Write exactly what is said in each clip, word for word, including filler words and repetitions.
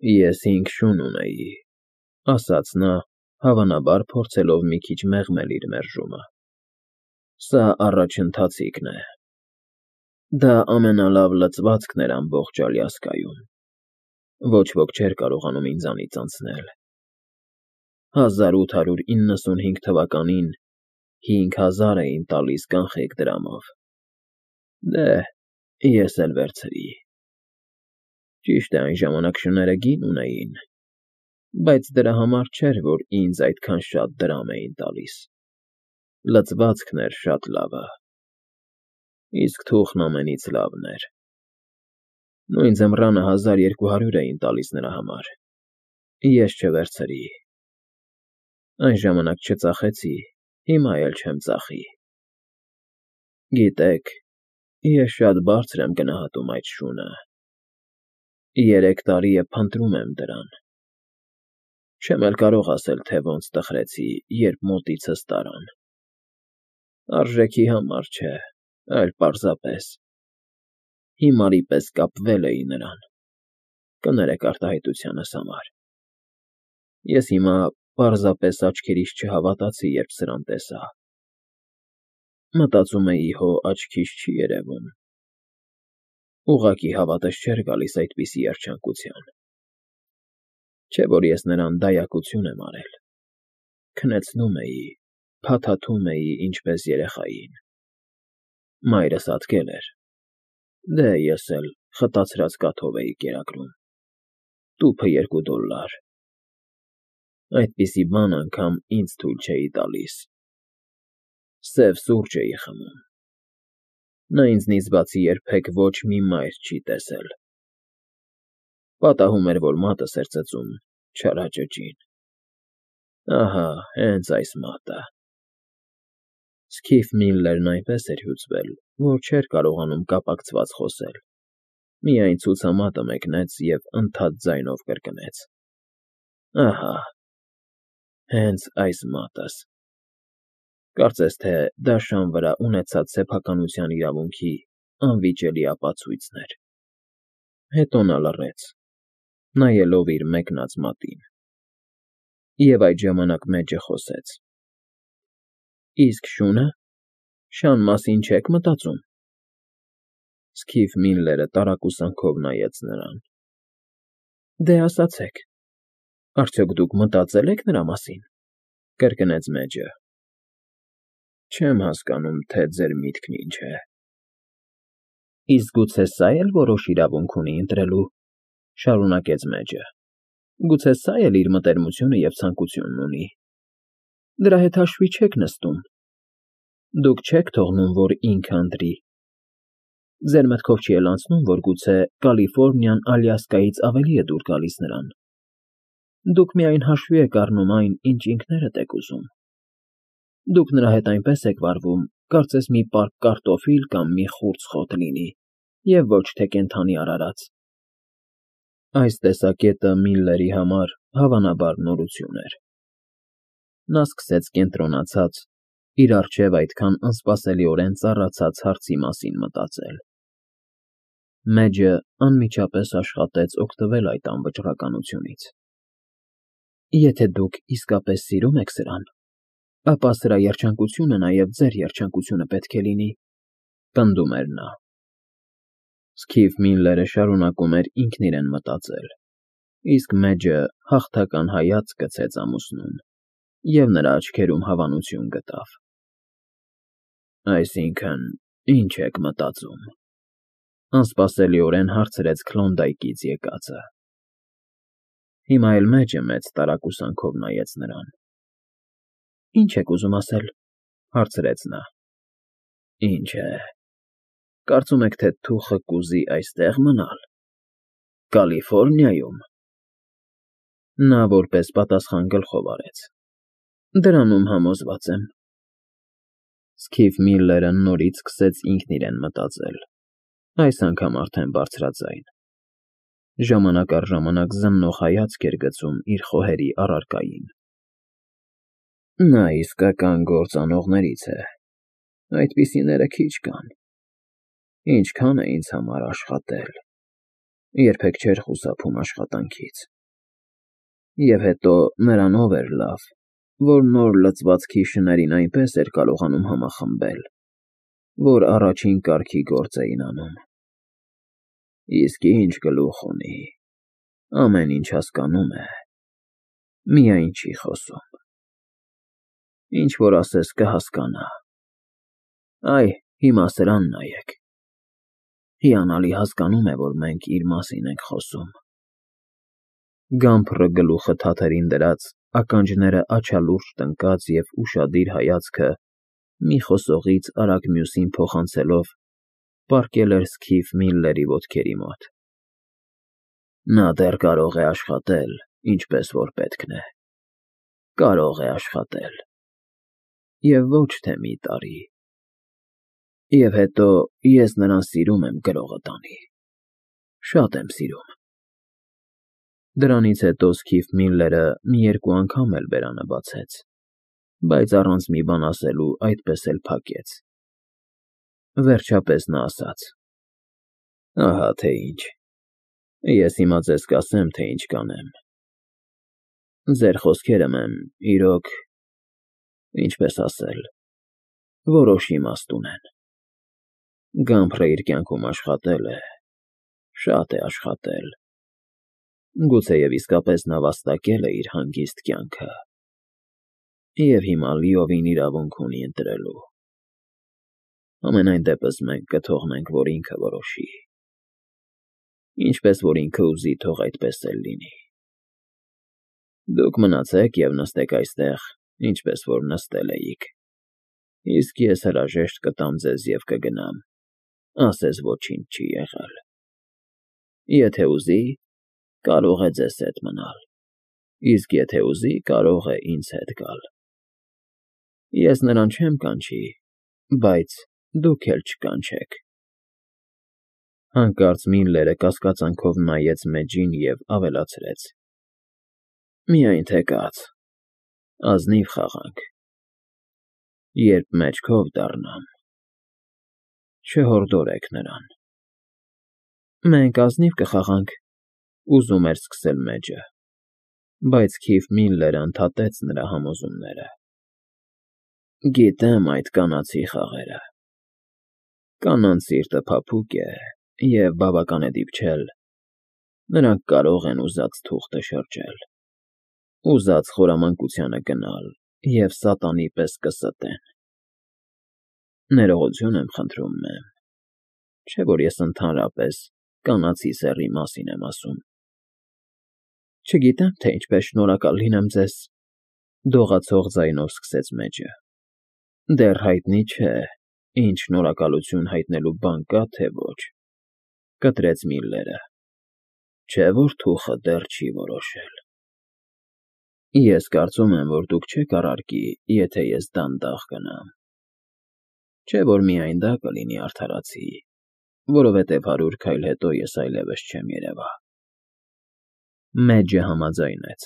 Ես հինգ շուն ունեի,֊ ասաց նա, հավանաբար փորձելով մի քիչ մեղմել իր մերժումը։֊ Սա առաջընթացիկն է։ Դա ամենալավ լցվածքն էր ամբողջ Ալյասկայում, ոչ ոք չէր կարողանում ինձանից անցնել։ Հազար ութ հարյուր իննսունհինգ թվականին հինգ հազար էին տալիս կանխիկ դրամով, դե, ես էլ վերցրի։ Ճիշտ է, այն ժամանակ շները գին ունեին, բայց դրա համար չէր, որ ինձ այդքան շատ դրամ էին տալիս, լցվածքն էր շատ լավը, իսկ թուղթն ամենից լավն էր։ Նույն ձմռանը հազար երկու հարյուր էին տալիս նրա համար, ես չվերցրի։ Այն ժամանակ չծախեցի, հիմա էլ չեմ ծախի։ Գիտեք, ես շատ բարձր եմ գնահատում այդ շունը, երեք տարի է փնտրում եմ դրան, չեմ էլ կարող ասել, թե ոնց տխրեցի, երբ մոտիցս տարան, արժեքի համար չէ, այլ պարզապես հիմարի պես կապվել էի նրան, կներեք արտահայտությանս համար։ Ես հիմա պարզապես աչքերիս չհավատացի, երբ սրան տեսա, մտածում էի հո աչքիս չի երևում, ուղղակի հավատս չէր գալիս այդպիսի երջանկության, չէ՞ որ ես նրան դայակություն եմ արել, քնեցնում էի, փաթաթում էի ինչպես երեխային, մայրս ատկել էր, դե ես էլ խտացրած կաթով էի կերակրում, տուփը երկու դոլլար, այդպիսի բան անգամ ինձ թույլ չէի տալիս, սև սուրճ էի խմում, նա ինձնից բացի երբեք ոչ մի մայր չի տեսել, պատահում էր, որ մատս էր ծծում չարաճճին, ահա հենց այս մատը։ Սքիֆ Միլլերն այնպես էր հյուծվել, որ չէր կարողանում կապակցված խոսել, միայն ցուցամատը մեկնեց և ընդհատ ձայնով կրկնեց. ահա, հենց այս մատս, կարծես թե դա շան վրա ունեցած սեփականության իրավունքի անվիճելի ապացույցն էր։ Հետո նա լռեց, նայելով իր մեկնած մատին, և այդ ժամանակ մեջը խոսեց. Իսկ շո՞ւնը, շան մասին չե՞ք մտածում։ Սքիֆ Միլլերը տարակուսանքով նայեց նրան։ Դե ասացեք, արդյոք դուք մտածել եք նրա մասին, կրկնեց մեջը։ Չեմ հասկանում, թե ձեր միտքն ինչ է։ Իսկ գուցե սա էլ որոշ իրավունք ունի ընտրելու, շարունակեց մեջը, գուցե սա էլ իր մտերմությունը և ցանկությունն ունի, դրա հետ հաշվի չեք նստում, դուք չեք թողնում, որ ինքը ընտրի, ձեր մտքով չի էլ անցնում, որ գուցե Կալիֆորնիան Ալյասկայից ավելի է դուր գալիս նրան, դուք միայն հաշվի եք առնում այն, ինչ ինքներդ եք ուզում, դուք նրա հետ այնպես եք վարվում, կարծես մի պարկ կարտոֆիլ կամ մի խուրձ խոտ լինի, և ոչ թե կենդանի արարած։ Այս տեսակետը Միլլերի համար հավանաբար նորություն էր։ Նա սկսեց կենտրոնացած, իր առջև այդքան անսպասելիորեն ծառացած հարցի մասին մտածել։ Մեջը անմիջապես աշխատեց օգտվել այդ անվճռականությունից։ Եթե դուք իսկապես սիրում եք սրան, ապա սրա երջանկությունը նաև ձեր երջանկությունը պետք է լինի, պնդում էր նա։ Սքիֆ Միլլերը շարունակում էր ինքն իրեն մտածել, իսկ մեջը հաղթական հայացք գցեց ամուսնուն, և նրա աչքերում հավանություն գտավ։ Այսինքն, ի՞նչ եք մտածում, անսպասելիորեն հարցրեց Քլոնդայքից եկածը։ Հիմա էլ մեջը մեծ տարակուսանքով նայեց նրան։ Ինչ եք ուզում ասել, հարցրեց նա։ Ինչ է, կարծում եք, թե թուխը կուզի այստեղ մնալ, Կալիֆորնիայում։ Նա որպես պատասխան գլխով արեց։ Դրանում համոզված եմ։ Սքիֆ Միլլերը նորից սկսեց ինքն իրեն մտածել, այս անգամ արդեն բարձրաձայն, ժամանակ առ ժամանակ զննող հայացք էր գցում իր խոհերի առարկային։ Նա իսկական գործանողներից է, այդպիսիները քիչ կան, ինչքան է ինձ համար աշխատել։ երբեք չէր խուսափում աշխատանքից։ Եվ հետո նրանով էր լավ, որ նոր լծվածքի շներին այնպես էր կարողանում համախմբել, որ առաջին կարգի գործ էին անում։ Իսկ ինչ գլուխ ունի, ամեն ինչ հասկանում է, միայն չի խոսում։ Ինչ որ ասես կհասկանա։ Այ, հիմա սրան նայեք։ Հիանալի հասկանում է, որ մենք իր մասին ենք խոսում։ Գամբրը գլուխը թաթերին դրած, ականջները աչալուրջ տնկած և ուշադիր հայացքը մի խոսողից արագ մյուսին փոխանցելով պառկել էր Սքիֆ Միլլերի ոտքերի մոտ։ Նա դեռ կարող է աշխատել, ինչպես որ պետքն է։ Կարող է աշխատել։ Եվ ոչ թե մի տարի։ Եվ հետո ես նրան սիրում եմ գրողը տանի։ Շատ եմ սիրում։ Դրանից հետո Սքիֆ Միլլերը մի երկու անգամ էլ բերանը բացեց, բայց առանց մի բան ասելու այդպես էլ փակեց։ Վերջապես նա ասաց. Ահա թե ինչ, ես հիմա ձեզ կասեմ, թե ինչ կանեմ։ Ձեր խոսքերը մեմ, իրոք, ինչպես ասել, որոշ իմաստ ունեն։ Գամբրը իր կյանքում աշխատել է, շատ է աշխատել, գուցեև իսկապես նա վաստակել է իր հանգիստ կյանքը, և հիմա լիովին իրավունք ունի ընտրելու։ Համենայն դեպս մենք կթողնենք, որ ինքը որոշի։ Ինչպես որ ինքը ուզի, թող այդպես էլ լինի։ Դուք մնացեք և նստեք այստեղ, ինչպես որ նստել էիք, իսկ ես հրաժեշտ կտամ ձեզ և կգնամ, ասես ոչինչ չի եղել։ Եթե ուզի, կարող է ձեզ հետ մնալ, իսկ եթե ուզի, կարող է ինձ հետ գալ։ Ես նրան չեմ կանչի, բայց դուք էլ չկանչեք։ Հանկարծ Միլլերը կասկածանքով նայեց մեջին և ավելացրեց. Միայն թե կաց, ազնիվ խաղանք։ Երբ մեջքով դառնամ, չհորդորեք նրան։ Մենք ազնիվ կխաղանք, ուզում էր սկսել մեջը, բայց Սքիֆ Միլլերը ընդհատեց նրա համոզումները. Գիտեմ այդ կանացի խաղերը։ Կանանց սիրտը փափուկ է և բավական է դիպչել, նրանք կարող են ուզած թուղթը շրջել, ուզած խորամանկությանը գնալ և սատանի պես կստեն։ Ներողություն եմ խնդրում, մեմ, չէ որ ես ընդհանրապես կանացի սեռի մասին եմ ասում։ Չգիտեմ, թե ինչպես շնորհակալ լինեմ ձեզ, դողացող ձայնով սկսեց մեջը։ Դեռ հայտնի չէ, ինչ շնորհակալություն հայտնելու բան կա, թե ոչ, կտրեց Միլլերը, չէ որ թուխը դեռ չի որոշել։ Ես կարծում եմ, որ դուք չեք առարկի, եթե ես դանդաղ գնամ։ Չէ որ միայն դա կլինի արդարացի, որովհետև հարյուր քայլ հետո ես այլևս չեմ երևա։ Մեջը համաձայնեց։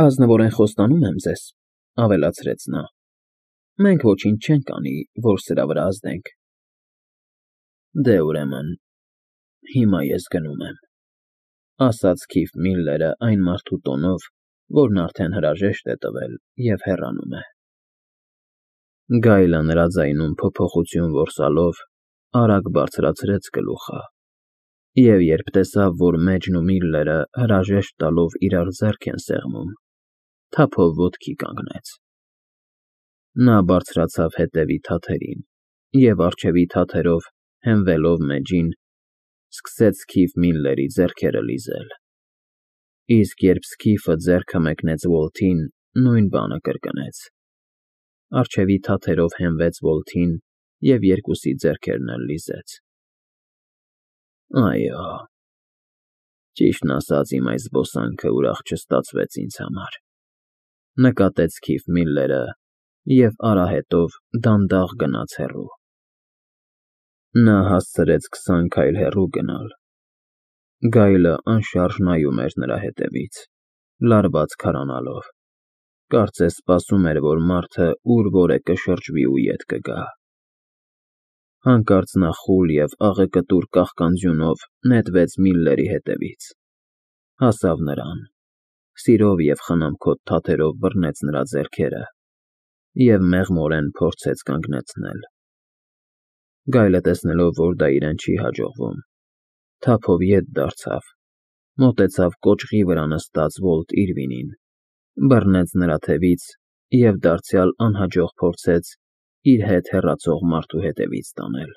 Ազնվորեն խոստանում եմ ձեզ, ավելացրեց նա, մենք ոչինչ չենք անի, որ սրա վրա ազդենք։ Դե ուրեմն, հիմա ես գնում եմ, ասաց Սքիֆ Միլլերը այն մարդու տոնով, որն արդեն հրաժեշտ է տվել և հեռանում է։ Գայլը նրա ձայնում փոփոխություն որսալով արագ բարձրացրեց գլուխը, և երբ տեսավ, որ մեջն ու Միլլերը հրաժեշտ տալով իրար ձեռք են սեղմում, թափով ոտքի կանգնեց։ Նա բարձրացավ հետևի թաթերին և առջևի թաթերով, հենվելով մեջին, սկսեց Սքիֆ Միլլերի ձեռքերը լիզել։ Իսկ երբ Սքիֆը ձեռքը մեկնեց Ուոլթին, նույն բանը կրկնեց։ Առջևի թաթերով հենվեց Ուոլթին և երկուսի ձեռքերն էլ լիզեց։ Այո, ճիշտն ասած, իմ այս զբոսանքը ուրախ չստացվեց ինձ համար, նկատեց Սքիֆ Միլլերը և արահետով դանդաղ գնաց հեռու։ Նա հասցրեց քսան քայլ հեռու գնալ։ Գայլը անշարժ նայում էր նրա հետևից, լարված քարանալով, կարծես սպասում էր, որ մարդը ուր որ է կշրջվի ու ետ կգա։ Հանկարծ նա խուլ և աղեկտուր կաղկանձյունով նետվեց Միլլերի հետևից, հասավ նրան, սիրով և խնամքոտ թաթերով բռնեց նրա ձեռքերը և մեղմորեն փորձեց կանգնեցնել։ Գայլը, տեսնելով, որ դա իրեն չի հաջողվում, թափով ետ դարձավ, մոտեցավ կոճղի վրա նստած Վոլտ Իրվինին, բռնեց նրա թևից և դարձյալ անհաջող փորձեց իր հետ հեռացող մարդու հետևից տանել։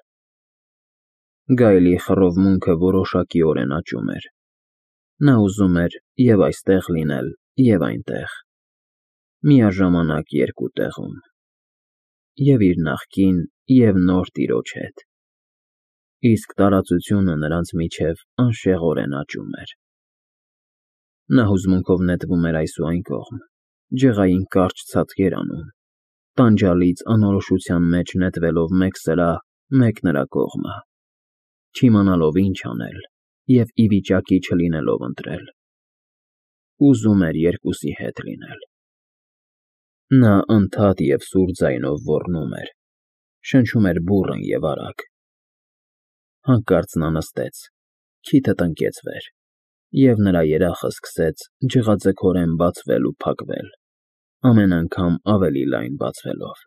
Գայլի խռովմունքը որոշակիորեն աճում էր։ Նա ուզում էր և՛ այստեղ լինել, և՛ այնտեղ, միաժամանակ երկու տեղում, և՛ իր նախկին, և՛ նոր տիրոջ հետ, իսկ տարածությունը նրանց միջև անշեղորեն աճում էր։ Նա հուզմունքով նետվում էր այս ու այն կողմ, ջղային կարճ ցատկեր անում, տանջալից անորոշության մեջ նետվելով մեկ սրա, մեկ նրա կողմը, չիմանալով ինչ անել և ի վիճակի չլինելով ընտրել։ Ուզում էր երկուսի հետ լինել։ Նա անդադ և սուր ձայնով ոռնում էր, շնչում էր բուռն և արագ։ Հանկարծ նա նստեց, քիթը տնկեց վեր, և նրա երախը սկսեց ջղաձգորեն բացվել ու փակվել, ամեն անգամ ավելի լայն բացվելով։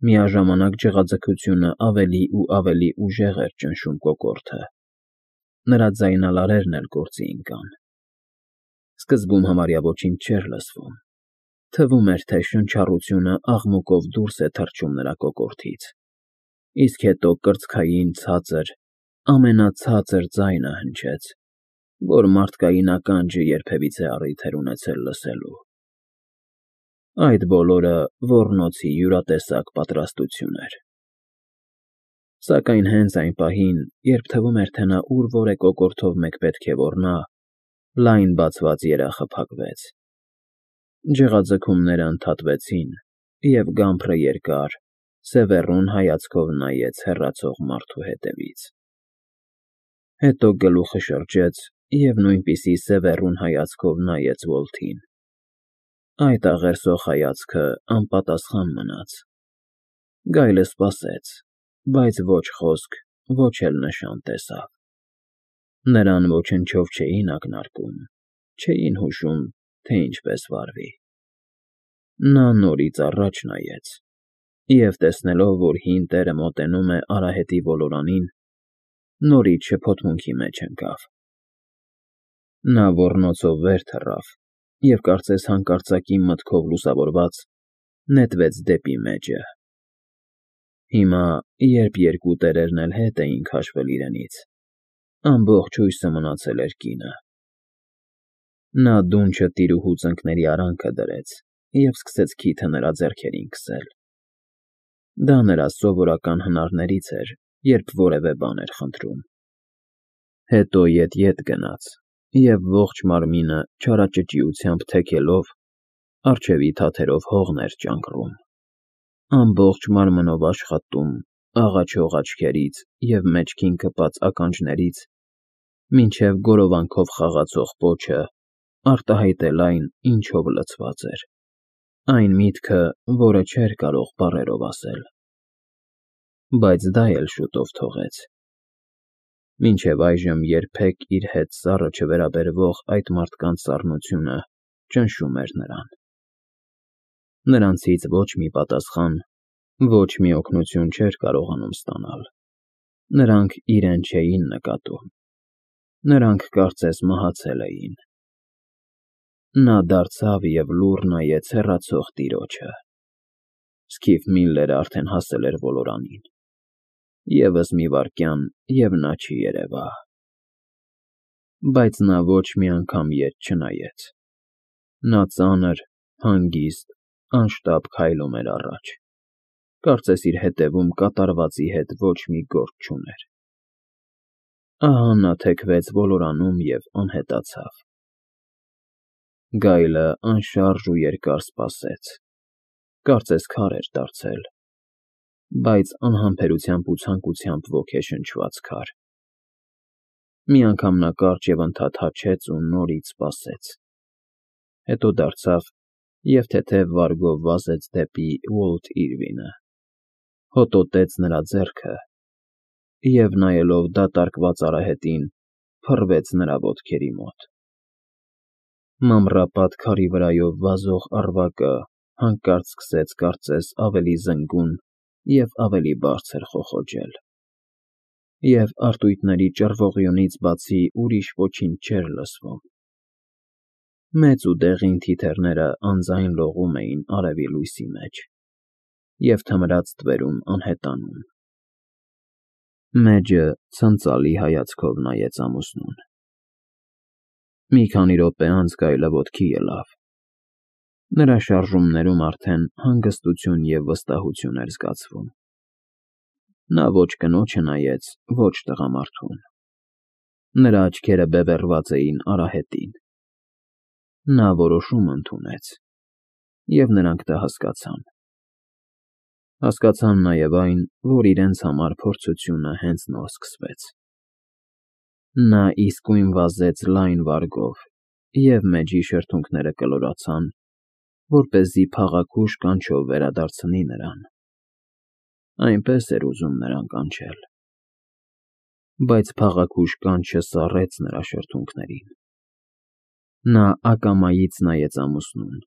Միաժամանակ ջղաձգությունը ավելի ու ավելի ուժեղ էր ճնշում կոկորդը, նրա ձայնալարերն էլ գործի ընկան։ Սկզբում համարյա ոչինչ չէր լսվում, թվում էր, թե շնչառությունը աղմուկով դուրս է թռչում նրա կոկորդից, իսկ հետո կրծքային ցածր, ամենացածր ձայնը հնչեց, որ մարդկային ականջը երբևիցե առիթ էր ունեցել լսելու։ Այդ բոլորը ոռնոցի յուրատեսակ պատրաստություն էր։ Սակայն հենց այն պահին, երբ թվում էր, թե նա ուր֊որ է կոկորդով մեկ պետք է ոռնա, լայն բացված երախը փակվեց։ Ջղաձգումները ընդհատվեցին, և գամբրը երկար, սևեռուն հայացքով նայեց հեռացող մարդու հետևից։ Հետո գլուխը շրջեց և նույնպիսի սևեռուն հայացքով նայեց Վոլթին։ Այդ աղերսող հայացքը անպատասխան մնաց։ Գայլը սպասեց, բայց ոչ խոսք, ոչ էլ նշան տեսավ։ Նրան ոչնչով չէին ակնարկում, չէին հուշում, թե ինչպես վարվի։ Նա նորից առաջ նայեց և, տեսնելով, որ հին տերը մոտենում է արահետի ոլորանին, նորից շփոթմունքի մեջ ընկավ։ Նա ոռնոցով վեր թռավ և, կարծես հանկարծակի մտքով լուսավորված, նետվեց դեպի մեջը։ Հիմա, երբ երկու տերերն էլ հետ էին քաշվել իրենից, ամբողջ հույսը մնացել էր կինը։ Նա դունչը տիրուհու ծնկների արանքը դրեց և սկսեց քիթը նրա ձեռքերին քսել։ Դա նրա սովորական հնարներից էր, երբ որևէ բան էր խնդրում։ Հետո ետ֊ետ գնաց և ողջ մարմինը չարաճճիությամբ թեքելով, առջևի թաթերով հողն էր ճանկռում, ամբողջ մարմնով աշխատում աղաչող աչքերից և մեջքին կպած ականջներից մինչև գորովանքով խաղացող պոչը արտահայտել այն, ինչով լցված էր, այն միտքը, որը չէր կարող բառերով ասել։ Բայց դա էլ շուտով թողեց։ Մինչև այժմ երբեք իր հետ սառը չվերաբերվող այդ մարդկանց սառնությունը ճնշում էր նրան։ Նրանցից ոչ մի պատասխան, ոչ մի օգնություն չէր կարողանում ստանալ։ Նրանք իրեն չէին նկատում։ Նրանք կարծես մահացել էին։ Նա դարձավ և լուռ նայեց հեռացող տիրոջը։ Սքիֆ Միլլերը արդեն հասել էր ոլորանին։ Եվս մի վայրկյան, և նա չերևա։ Բայց նա ոչ մի անգամ ետ չնայեց։ Նա ծանր, հանգիստ, անշտապ քայլում էր առաջ, կարծես իր հետևում կատարվածի հետ ոչ մի գործ չուներ։ Ահա նա թեքվեց ոլորանում և անհետացավ։ Գայլը անշարժ ու երկար սպասեց, կարծես քար էր դարձել, բայց անհամբերությամբ ու ցանկությամբ ոգեշնչված քար։ Մի անգամ նա կարճ և ընդհատ հաչեց ու նորից սպասեց։ Հետո դարձավ և թեթև վարգով վազեց դեպի Վոլտ Իրվինը։ հոտոտեց նրա ձեռքը և, նայելով դատարկված արահետին, փռվեց նրա ոտքերի մոտ։ Մանրապատ քարի վրայով վազող առվակը հանկարծ սկսեց կարծես ավելի զնգուն և ավելի բարձր խոխոջել, և արծույթների ճռվողյունից բացի ուրիշ ոչինչ չէր լսվում։ Մեծ ու դեղին թիթեռները անձայն լողում էին արևի լույսի մեջ և թմրած թվերում անհետանում։ Մեջը ցնծալի հայացքով նայեց ամուսնուն։ Մի քանի րոպե անց գայլը ոտքի ելավ։ Նրա շարժումներում արդեն հանգստություն և վստահություն էր զգացվում։ Նա ոչ կնոջը նայեց, ոչ տղամարդուն։ Նրա աչքերը բևեռված էին արահետին։ Նա որոշում ընդունեց, և նրանք դա հասկացան։ Հասկացան նաև այն, որ իրենց համար փորձությունը հենց նոր սկսվեց։ Նա իսկույն վազեց լայն վարգով, և մեջի շրթունքները կլորացան, որպեսզի փաղաքուշ կանչով վերադարձնի նրան։ Այնպես էր ուզում նրան կանչել։ Բայց փաղաքուշ կանչը սառեց նրա շրթունքներին։ Նա ակամայից նայեց ամուսնուն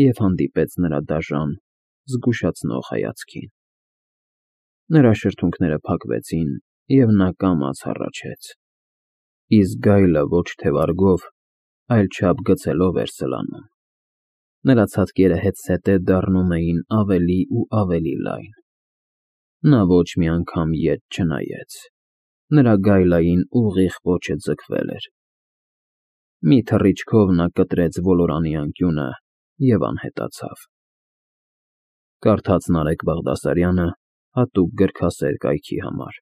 և հանդիպեց նրա դաժան, զգուշացնող հայացքին։ Նրա շրթունքները փակվեցին, և նա կամաց հառաչեց, իսկ գայլը ոչ թե վարգով, այլ չափ գցելով էր սլանում։ Նրա ցատկերը հետզհետե դառնում էին ավելի ու ավելի լայն։ Նա ոչ մի անգամ ետ չնայեց։ Նրա գայլային ուղիղ պոչը ձգվել էր։ Մի թռիչքով նա կտրեց ոլորանի անկյունը և անհետացավ։ Կարդաց Նարեկ Բաղդասարյանը հատուկ գրքասեր կայքի համար։